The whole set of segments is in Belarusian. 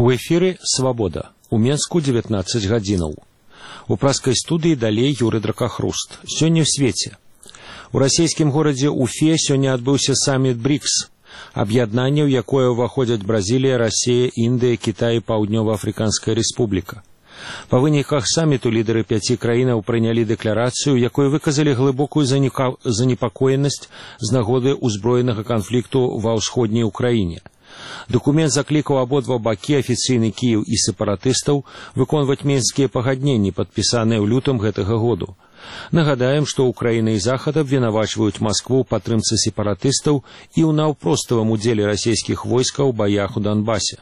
У эфіры «Свабода». У Менску 19 гадзінаў. У праскай студыі далей Юры Дракахруст. Сёння ў свеце. У расійскім горадзе Уфе сёння адбыўся саміт БРИКС. Аб'яднанне, у якое ўваходзяць Бразілія, Расія, Індыя, Кітай і Паўднёва-Афрыканская Рэспубліка. Па выніках саміту лідары 5 краінаў прынялі дэкларацыю, у якой выказалі глыбокую занепакоенасць з нагоды ўзброенага канфлікту ва ўсходняй Украіне. Документ заклікаў абодва бакі, афіцыйны Кіеў і сепаратыстаў, выконваць мінскія пагадненні, падпісаныя ў лютым гэтага году. Нагадаем, што Украіна і Захад абвінавачваюць Маскву ў падтрымцы сепаратыстаў і ў наўпроставым удзеле расійскіх войскаў у баях у Донбасе.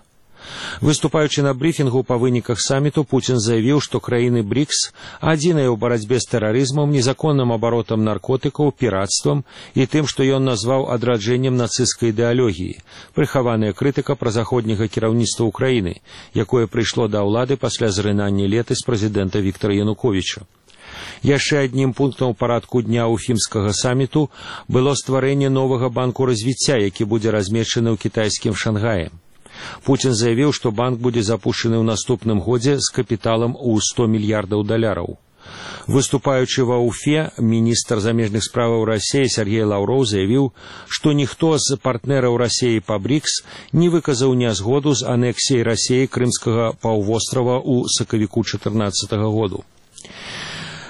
Выступаючы на брифінгу па выніках саміту, Пуцін заявіў, што краіны БРИКС адзіныя ў барацьбе з тэрарызмам, незаконным абаротам наркотыкаў, піратствам і тым, што ён назваў адраджэннем нацысцкай ідэалогіі, прыхаваная крытыка празаходняга кіраўніцтва Украіны, якое прыйшло да ўлады пасля зрынання летась прэзідэнта Віктара Януковіча. Яшчэ аднім пунктам у парадку дня уфімскага саміту было стварэнне новага банку развіцця, які будзе размешчаны ў кітайскім Шангаі. Пуцін заявіў, што банк будзе запушчаны ў наступным годзе з капіталам у $100 мільярдаў. Выступаючы ва Уфе, міністр замежных справаў Расіі Сергей Лаўроў заявіў, што ніхто з партнераў Расіі па БРИКС не выказаў нязгоду з анексіяй Расіі Крымскага паўвострава ў сакавіку 2014 году.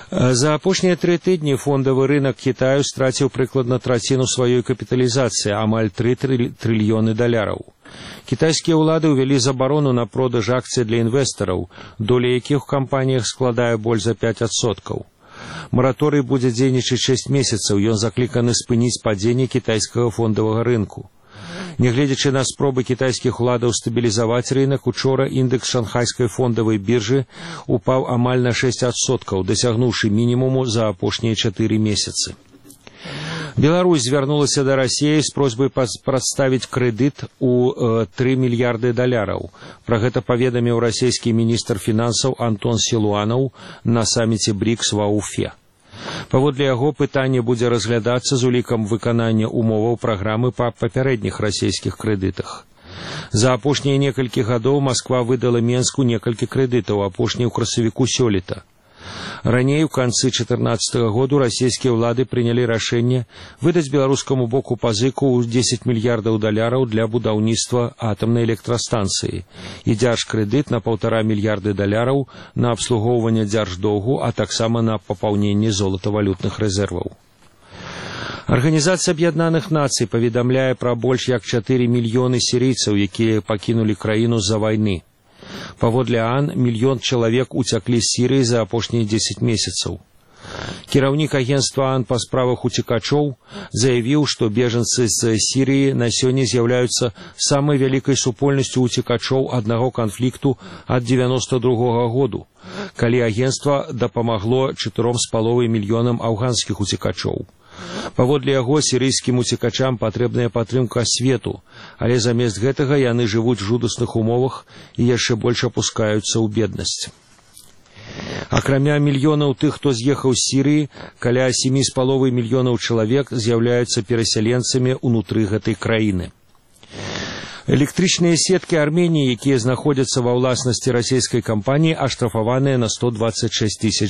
За апошнія 3 тыдні фондавы рынок Кітаю страціў прыкладна траціну сваёй капіталізацыі, амаль $3 трыльёны. Кітайскія ўлады ўвялі забарону на продаж акцый для інвестараў, доля якіх у кампаніях складае больш за 5%. Мараторый будзе дзейнічаць 6 месяцаў, ён закліканы спыніць падзенне кітайскага фондавага рынку. Нягледзячы на спробы кітайскіх уладаў стабілізаваць рынок, учора індекс шанхайскай фондавай біржы упаў амаль на 6%, дасягнуўшы мінімуму за апошнія 4 месяцы. Беларусь звярнулася да Расіі з просьбай прадставіць крэдыт у $3 мільярды. Пра гэта паведаміў расійскі міністр фінансаў Антон Сілуанаў на саміце БРИКС ва Уфе. Паводле яго, пытанне будзе разглядацца з улікам выканання умоваў праграмы па папярэдніх расійскіх крэдытах. За апошнія некалькі гадоў Масква выдала Менску некалькі крэдытаў, апошні ў красавіку сёлета. Раней, у канцы 2014 году, расійскія ўлады прынялі рашэнне выдаць беларускаму боку пазыку ў $10 мільярдаў для будаўніцтва атамнай электрастанцыі і дзяржкрэдыт на $1,5 мільярды на абслугоўванне дзярждоўгу, а таксама на папаўненне золатавалютных рэзерваў. Арганізацыя Аб'яднаных Нацый паведамляе пра больш як 4 мільёны сірыйцаў, якія пакінулі краіну з-за вайны. Паводле ААН, 1 мільён чалавек уцяклі з Сірыі за апошнія 10 месяцаў. Кіраўнік агенцтва ААН па справах уцекачоў заявіў, што бежанцы з Сірыі на сёння з'яўляюцца самай вялікай супольнасцю уцекачоў аднаго канфлікту ад 1992 году, калі агенцтва дапамагло 4,5 мільёнам афганскіх уцекачоў. Паводле яго, сірыйскім уцекачам патрэбная падтрымка свету, але замест гэтага яны жывуць у жудасных умовах і яшчэ больш апускаюцца ў беднасць. Акрамя мільёнаў тых, хто з'ехаў з Сірыі, каля 7,5 мільёнаў чалавек з'яўляюцца перасяленцамі ўнутры гэтай краіны. Электрычныя сеткі Арменіі, якія знаходзяцца ва ўласнасці расійскай кампаніі, аштрафаваныя на $126 000.